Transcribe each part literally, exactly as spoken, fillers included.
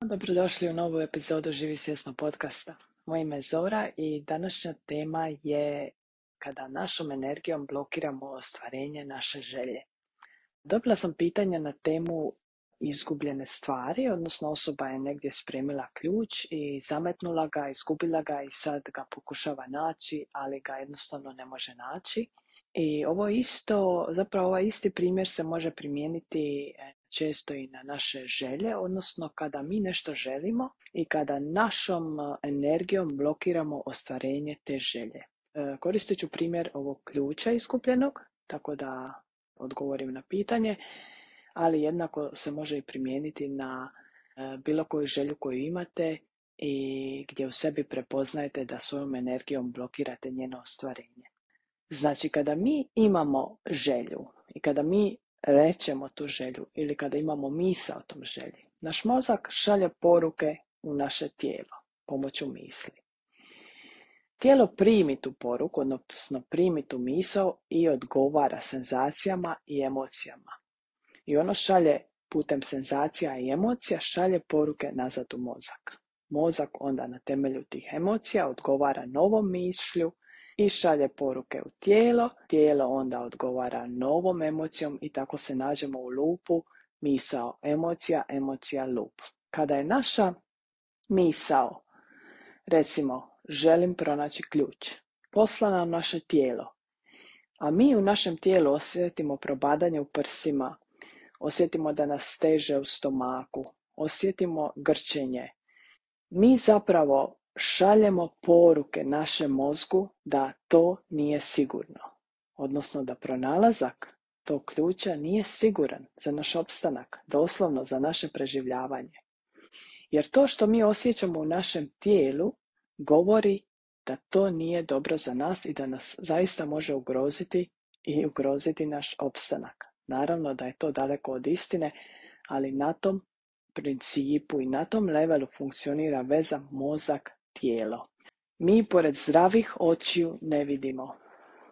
Dobrodošli u novu epizodu Živi svjesno podcasta. Moje ime je Zora i današnja tema je kada našom energijom blokiramo ostvarenje naše želje. Dobila sam pitanja na temu izgubljene stvari, odnosno osoba je negdje spremila ključ i zametnula ga, izgubila ga i sad ga pokušava naći, ali ga jednostavno ne može naći. I ovo isto, zapravo ovaj isti primjer se može primijeniti često i na naše želje, odnosno kada mi nešto želimo i kada našom energijom blokiramo ostvarenje te želje. Koristit ću primjer ovog ključa izgubljenog, tako da odgovorim na pitanje, ali jednako se može i primijeniti na bilo koju želju koju imate i gdje u sebi prepoznajete da svojom energijom blokirate njeno ostvarenje. Znači, kada mi imamo želju i kada mi rečemo tu želju ili kada imamo misao o tom želji, naš mozak šalje poruke u naše tijelo pomoću misli. Tijelo primi tu poruku, odnosno primi tu misao i odgovara senzacijama i emocijama. I ono šalje putem senzacija i emocija, šalje poruke nazad u mozak. Mozak onda na temelju tih emocija odgovara novom mišlju i šalje poruke u tijelo, tijelo onda odgovara novom emocijom i tako se nađemo u lupu misao, emocija, emocija, lup. Kada je naša misao, recimo, želim pronaći ključ, poslana u naše tijelo, a mi u našem tijelu osjetimo probadanje u prsima, osjetimo da nas steže u stomaku, osjetimo grčenje, mi zapravo šaljemo poruke našem mozgu da to nije sigurno, odnosno da pronalazak tog ključa nije siguran za naš opstanak, doslovno za naše preživljavanje. Jer to što mi osjećamo u našem tijelu govori da to nije dobro za nas i da nas zaista može ugroziti i ugroziti naš opstanak. Naravno da je to daleko od istine, ali na tom principu i na tom levelu funkcionira veza mozak-tijelo. Mi pored zdravih očiju ne vidimo,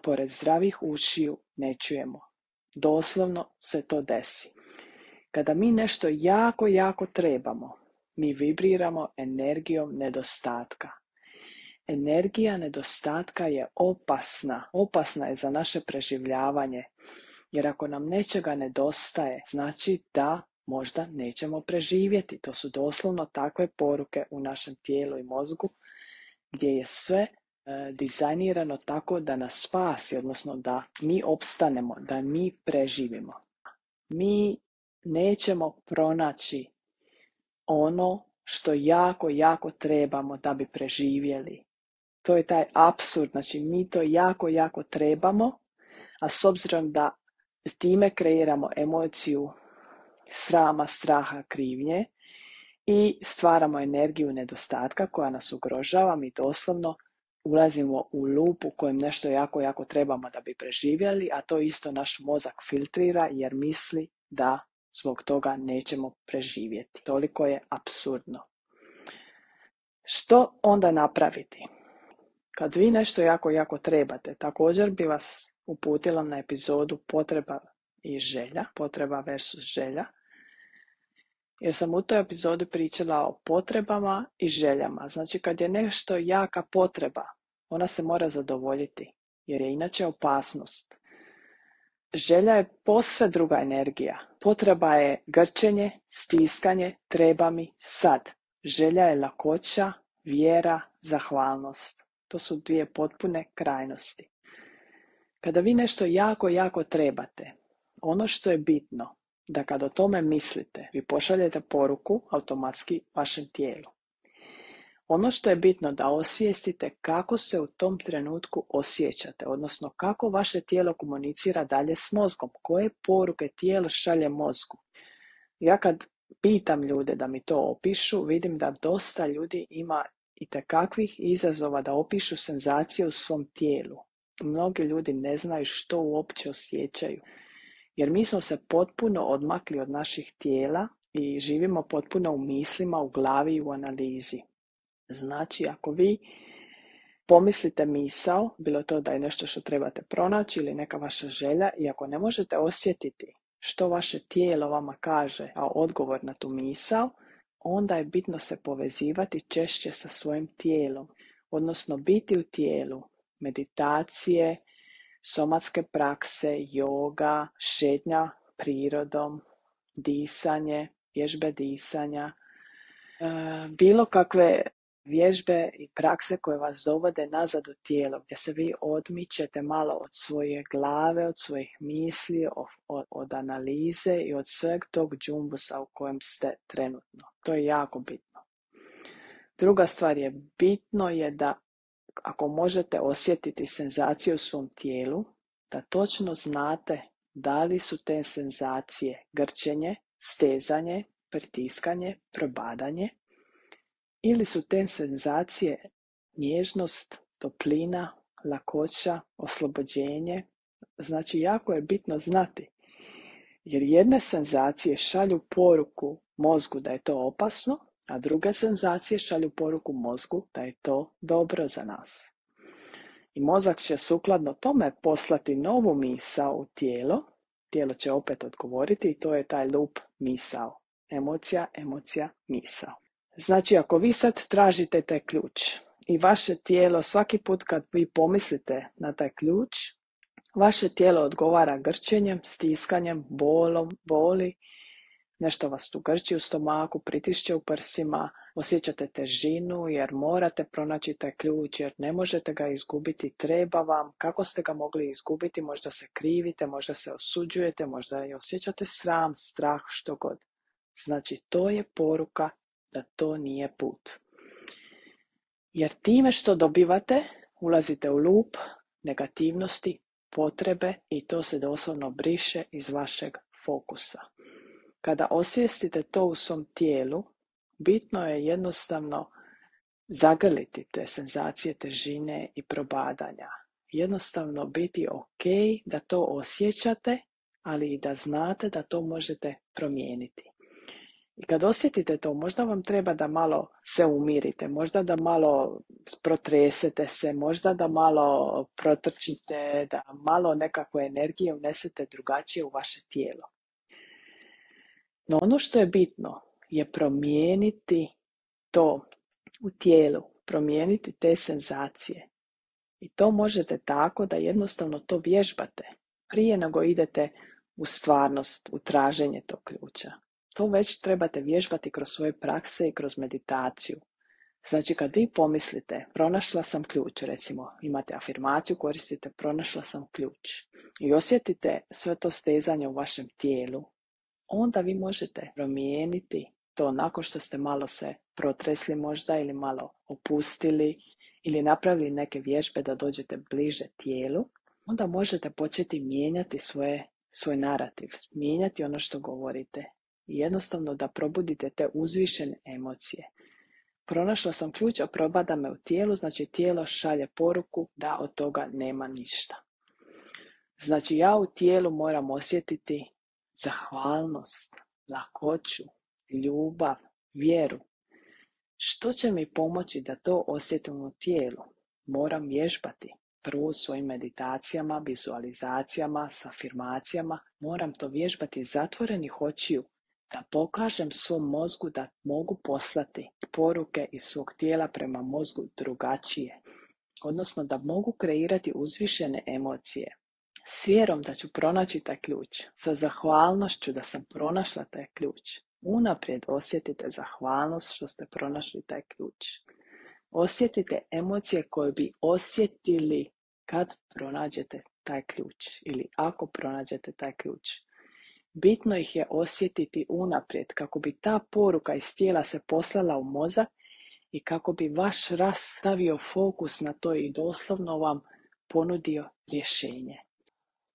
pored zdravih ušiju ne čujemo. Doslovno se to desi. Kada mi nešto jako, jako trebamo, mi vibriramo energijom nedostatka. Energija nedostatka je opasna, opasna je za naše preživljavanje, jer ako nam nečega nedostaje, znači da možda nećemo preživjeti. To su doslovno takve poruke u našem tijelu i mozgu gdje je sve e, dizajnirano tako da nas spasi, odnosno da mi opstanemo, da mi preživimo. Mi nećemo pronaći ono što jako, jako trebamo da bi preživjeli. To je taj apsurd, znači mi to jako, jako trebamo, a s obzirom da s time kreiramo emociju srama, straha, krivnje i stvaramo energiju nedostatka koja nas ugrožava, mi doslovno ulazimo u lup u kojem nešto jako, jako trebamo da bi preživjeli, a to isto naš mozak filtrira jer misli da zbog toga nećemo preživjeti. Toliko je apsurdno. Što onda napraviti? Kad vi nešto jako, jako trebate, također bi vas uputila na epizodu potreba i želja, potreba versus želja, jer sam u toj epizodi pričala o potrebama i željama. Znači, kad je nešto jaka potreba, ona se mora zadovoljiti, jer je inače opasnost. Želja je posve druga energija. Potreba je grčenje, stiskanje, treba mi sad. Želja je lakoća, vjera, zahvalnost. To su dvije potpune krajnosti. Kada vi nešto jako, jako trebate, ono što je bitno, da kad o tome mislite, vi pošaljete poruku automatski vašem tijelu. Ono što je bitno da osvijestite kako se u tom trenutku osjećate, odnosno kako vaše tijelo komunicira dalje s mozgom, koje poruke tijelo šalje mozgu. Ja kad pitam ljude da mi to opišu, vidim da dosta ljudi ima itekakvih izazova da opišu senzacije u svom tijelu. Mnogi ljudi ne znaju što uopće osjećaju, jer mi smo se potpuno odmakli od naših tijela i živimo potpuno u mislima, u glavi i u analizi. Znači, ako vi pomislite misao, bilo to da je nešto što trebate pronaći ili neka vaša želja, i ako ne možete osjetiti što vaše tijelo vama kaže, a odgovor na tu misao, onda je bitno se povezivati češće sa svojim tijelom, odnosno biti u tijelu, meditacije, somatske prakse, joga, šetnja prirodom, disanje, vježbe disanja, bilo kakve vježbe i prakse koje vas dovode nazad u tijelo, gdje se vi odmičete malo od svoje glave, od svojih misli, od, od analize i od sveg tog džumbusa u kojem ste trenutno. To je jako bitno. Druga stvar je, bitno je da ako možete osjetiti senzaciju u svom tijelu, da točno znate da li su te senzacije grčenje, stezanje, pritiskanje, probadanje, ili su te senzacije nježnost, toplina, lakoća, oslobođenje. Znači, jako je bitno znati, jer jedne senzacije šalju poruku mozgu da je to opasno, a druge senzacije šalju poruku mozgu da je to dobro za nas. I mozak će sukladno tome poslati novu misao u tijelo, tijelo će opet odgovoriti i to je taj loop misao. Emocija, emocija, misao. Znači, ako vi sad tražite taj ključ i vaše tijelo svaki put kad vi pomislite na taj ključ, vaše tijelo odgovara grčenjem, stiskanjem, bolom, boli, nešto vas tu grči u stomaku, pritišće u prsima, osjećate težinu jer morate pronaći taj ključ, jer ne možete ga izgubiti, treba vam, kako ste ga mogli izgubiti, možda se krivite, možda se osuđujete, možda i osjećate sram, strah, što god. Znači, to je poruka da to nije put. Jer time što dobivate, ulazite u lup negativnosti, potrebe i to se doslovno briše iz vašeg fokusa. Kada osvijestite to u svom tijelu, bitno je jednostavno zagrliti te senzacije težine i probadanja. Jednostavno biti ok da to osjećate, ali i da znate da to možete promijeniti. I kad osjetite to, možda vam treba da malo se umirite, možda da malo protresete se, možda da malo protrčite, da malo nekakve energije unesete drugačije u vaše tijelo. No ono što je bitno je promijeniti to u tijelu, promijeniti te senzacije. I to možete tako da jednostavno to vježbate prije nego idete u stvarnost, u traženje tog ključa. To već trebate vježbati kroz svoje prakse i kroz meditaciju. Znači, kad vi pomislite, pronašla sam ključ, recimo imate afirmaciju, koristite pronašla sam ključ i osjetite sve to stezanje u vašem tijelu, onda vi možete promijeniti to nakon što ste malo se protresli možda ili malo opustili ili napravili neke vježbe da dođete bliže tijelu, onda možete početi mijenjati svoje, svoj narativ, mijenjati ono što govorite i jednostavno da probudite te uzvišene emocije. Pronašla sam ključ, a probada me u tijelu, znači tijelo šalje poruku da od toga nema ništa. Znači ja u tijelu moram osjetiti zahvalnost, lakoću, ljubav, vjeru. Što će mi pomoći da to osjetim u tijelu? Moram vježbati. Prvo svojim meditacijama, vizualizacijama, s afirmacijama. Moram to vježbati zatvorenih očiju, da pokažem svom mozgu da mogu poslati poruke iz svog tijela prema mozgu drugačije. Odnosno da mogu kreirati uzvišene emocije. S vjerom da ću pronaći taj ključ, sa zahvalnošću da sam pronašla taj ključ. Unaprijed osjetite zahvalnost što ste pronašli taj ključ. Osjetite emocije koje bi osjetili kad pronađete taj ključ ili ako pronađete taj ključ. Bitno ih je osjetiti unaprijed kako bi ta poruka iz tijela se poslala u mozak i kako bi vaš raz stavio fokus na to i doslovno vam ponudio rješenje.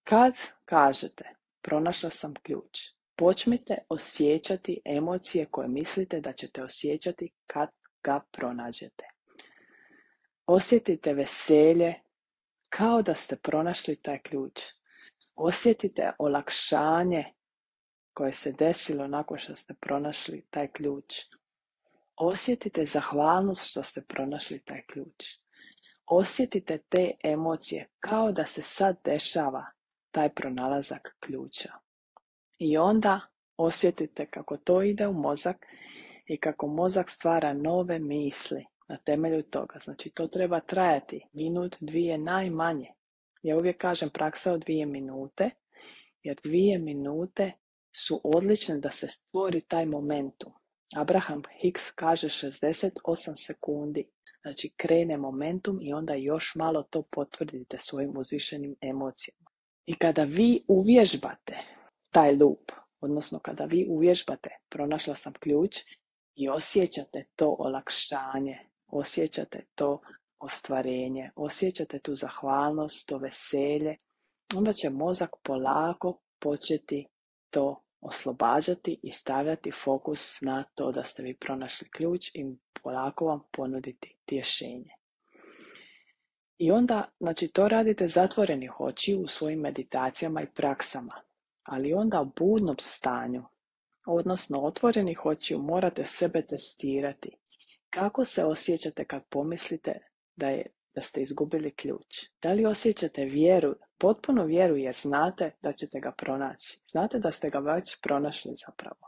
Kad kažete pronašla sam ključ, počnite osjećati emocije koje mislite da ćete osjećati kad ga pronađete. Osjetite veselje kao da ste pronašli taj ključ. Osjetite olakšanje koje se desilo nakon što ste pronašli taj ključ. Osjetite zahvalnost što ste pronašli taj ključ. Osjetite te emocije kao da se sad dešava taj pronalazak ključa. I onda osjetite kako to ide u mozak i kako mozak stvara nove misli na temelju toga. Znači, to treba trajati minut, dvije najmanje. Ja uvijek kažem praksa od dvije minute, jer dvije minute su odlične da se stvori taj momentum. Abraham Hicks kaže šezdeset osam sekundi. Znači, krene momentum i onda još malo to potvrdite svojim uzvišenim emocijama. I kada vi uvježbate taj loop, odnosno kada vi uvježbate, pronašla sam ključ, i osjećate to olakšanje, osjećate to ostvarenje, osjećate tu zahvalnost, to veselje, onda će mozak polako početi to oslobađati i stavljati fokus na to da ste vi pronašli ključ i polako vam ponuditi rješenje. I onda, znači, to radite zatvorenih očiju u svojim meditacijama i praksama, ali onda u budnom stanju, odnosno otvorenih očiju, morate sebe testirati. Kako se osjećate kad pomislite da, je, da ste izgubili ključ? Da li osjećate vjeru, potpuno vjeru, jer znate da ćete ga pronaći? Znate da ste ga već pronašli zapravo.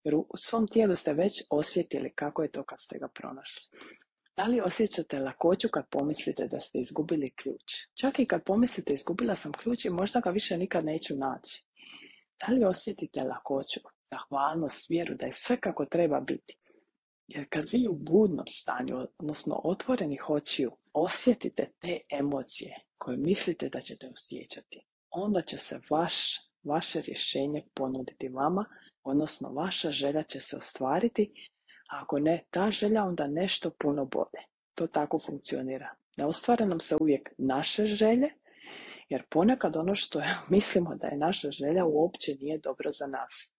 Jer u svom tijelu ste već osjetili kako je to kad ste ga pronašli. Da li osjećate lakoću kad pomislite da ste izgubili ključ? Čak i kad pomislite izgubila sam ključ i možda ga više nikad neću naći. Da li osjetite lakoću, zahvalnost, vjeru da je sve kako treba biti? Jer kad vi u budnom stanju, odnosno otvorenih očiju, osjetite te emocije koje mislite da ćete osjećati, onda će se vaš, vaše rješenje ponuditi vama, odnosno vaša želja će se ostvariti, a ako ne ta želja, onda nešto puno bolje. To tako funkcionira. Ne ostvare nam se uvijek naše želje, jer ponekad ono što mislimo da je naša želja uopće nije dobro za nas.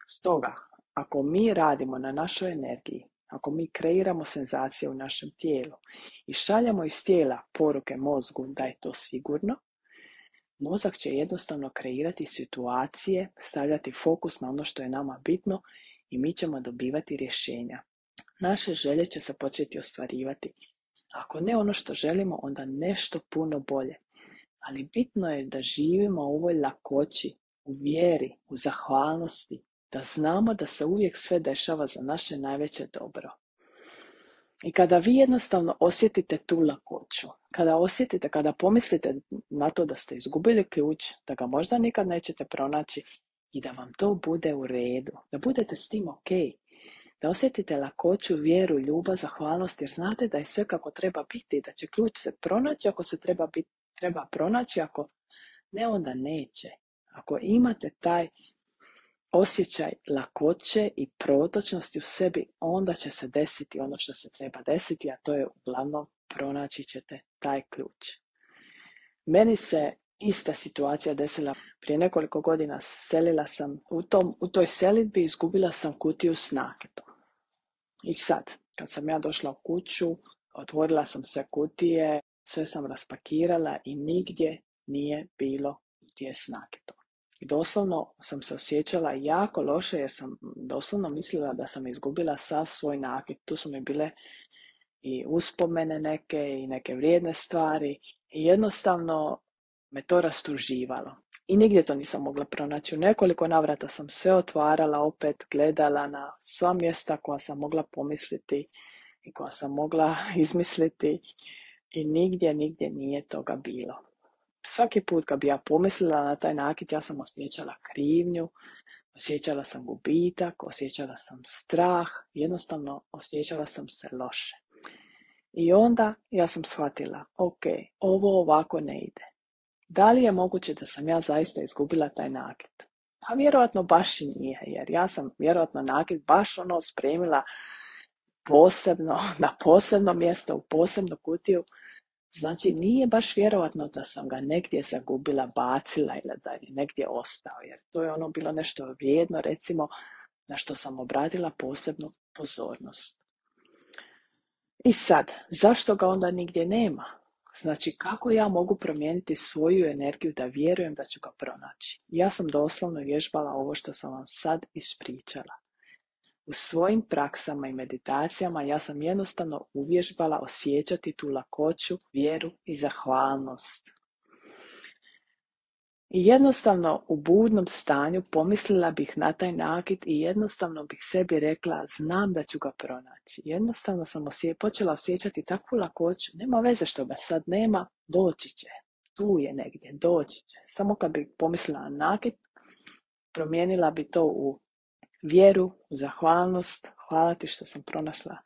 Stoga, ako mi radimo na našoj energiji, ako mi kreiramo senzacije u našem tijelu i šaljemo iz tijela poruke mozgu da je to sigurno, mozak će jednostavno kreirati situacije, stavljati fokus na ono što je nama bitno i mi ćemo dobivati rješenja. Naše želje će se početi ostvarivati. Ako ne ono što želimo, onda nešto puno bolje. Ali bitno je da živimo u ovoj lakoći, u vjeri, u zahvalnosti, da znamo da se uvijek sve dešava za naše najveće dobro. I kada vi jednostavno osjetite tu lakoću, kada osjetite, kada pomislite na to da ste izgubili ključ, da ga možda nikad nećete pronaći i da vam to bude u redu, da budete s tim ok, da osjetite lakoću, vjeru, ljubav, zahvalnost, jer znate da je sve kako treba biti, da će ključ se pronaći ako se treba, biti, treba pronaći, ako ne, onda neće. Ako imate taj osjećaj lakoće i protočnosti u sebi, onda će se desiti ono što se treba desiti, a to je uglavnom pronaći ćete taj ključ. Meni se ista situacija desila prije nekoliko godina. Selila sam u, tom, u toj selidbi, izgubila sam kutiju s naketom. I sad, kad sam ja došla u kuću, otvorila sam sve kutije, sve sam raspakirala i nigdje nije bilo kutije s naketom. I doslovno sam se osjećala jako loše, jer sam doslovno mislila da sam izgubila sav svoj nakit. Tu su mi bile i uspomene neke i neke vrijedne stvari i jednostavno me to rastuživalo. I nigdje to nisam mogla pronaći. U nekoliko navrata sam sve otvarala, opet gledala na sva mjesta koja sam mogla pomisliti i koja sam mogla izmisliti i nigdje, nigdje nije toga bilo. Svaki put kad bi ja pomislila na taj nakit, ja sam osjećala krivnju, osjećala sam gubitak, osjećala sam strah, jednostavno osjećala sam se loše. I onda ja sam shvatila, ok, ovo ovako ne ide. Da li je moguće da sam ja zaista izgubila taj nakit? Pa vjerojatno baš i nije, jer ja sam vjerojatno nakit baš ono spremila posebno, na posebno mjesto, u posebnu kutiju. Znači, nije baš vjerojatno da sam ga negdje zagubila, bacila ili da je negdje ostao, jer to je ono bilo nešto vrijedno, recimo, na što sam obratila posebnu pozornost. I sad, zašto ga onda nigdje nema? Znači, kako ja mogu promijeniti svoju energiju da vjerujem da ću ga pronaći? Ja sam doslovno vježbala ovo što sam vam sad ispričala. U svojim praksama i meditacijama ja sam jednostavno uvježbala osjećati tu lakoću, vjeru i zahvalnost. I jednostavno u budnom stanju pomislila bih na taj nakit i jednostavno bih sebi rekla, znam da ću ga pronaći. Jednostavno sam osje- počela osjećati takvu lakoću, nema veze što ga sad nema, doći će. Tu je negdje, doći će. Samo kad bih pomislila na nakit, promijenila bi to u vjeru, u zahvalnost, hvala ti što sam pronašla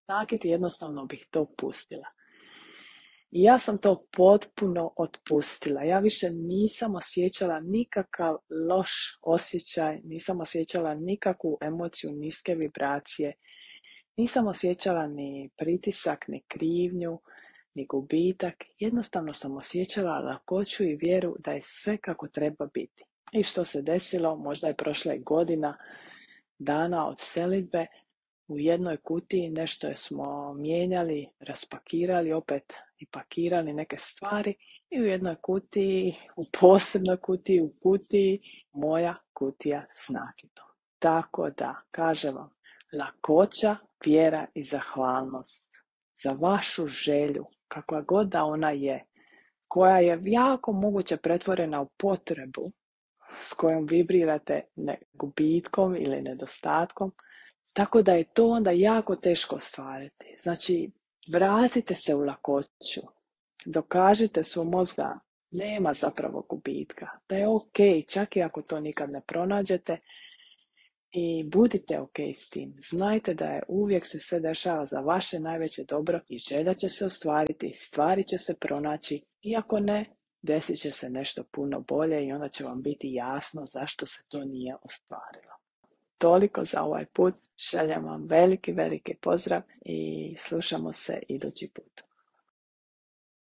nakit i jednostavno bih to pustila. I ja sam to potpuno otpustila. Ja više nisam osjećala nikakav loš osjećaj, nisam osjećala nikakvu emociju niske vibracije, nisam osjećala ni pritisak, ni krivnju, ni gubitak. Jednostavno sam osjećala lakoću i vjeru da je sve kako treba biti. I što se desilo, možda je prošla godina dana od selidbe, u jednoj kutiji nešto smo mijenjali, raspakirali opet i pakirali neke stvari i u jednoj kutiji, u posebnoj kutiji, u kutiji, moja kutija s nakitom. Tako da, kažem vam, lakoća, vjera i zahvalnost za vašu želju, kakva god da ona je, koja je jako moguće pretvorena u potrebu s kojom vibrirate ne, gubitkom ili nedostatkom, tako da je to onda jako teško ostvariti. Znači, vratite se u lakoću. Dokažite svom mozgu da nema zapravo gubitka. Da je ok, čak i ako to nikad ne pronađete. I budite ok s tim. Znajte da je uvijek se sve dešava za vaše najveće dobro i želja će se ostvariti, stvari će se pronaći. Iako ne, desit će se nešto puno bolje i onda će vam biti jasno zašto se to nije ostvarilo. Toliko za ovaj put. Šaljem vam veliki, veliki pozdrav i slušamo se idući put.